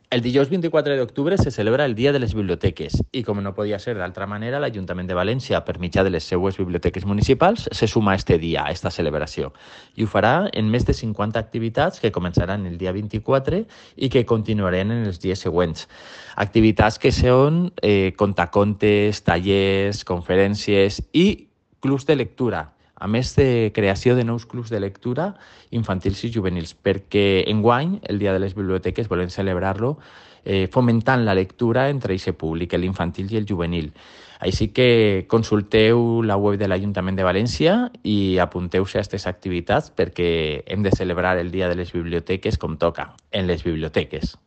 El dijous 24 d'octubre se celebra el Dia de les Biblioteques i, com no podia ser d'altra manera, l'Ajuntament de València, per mitjà de les seues biblioteques municipals, se suma a este dia, a esta celebració. I ho farà en més de 50 activitats que començaran el dia 24 i que continuaran en els dies següents. Activitats que són contacontes, tallers, conferències i clubs de lectura, a més de creació de nous clubs de lectura infantils i juvenils, perquè enguany, el Dia de les Biblioteques, volem celebrar-lo fomentant la lectura entre aquest públic, l'infantil i el juvenil. Així que consulteu la web de l'Ajuntament de València i apunteu-se a aquestes activitats perquè hem de celebrar el Dia de les Biblioteques com toca, en les biblioteques.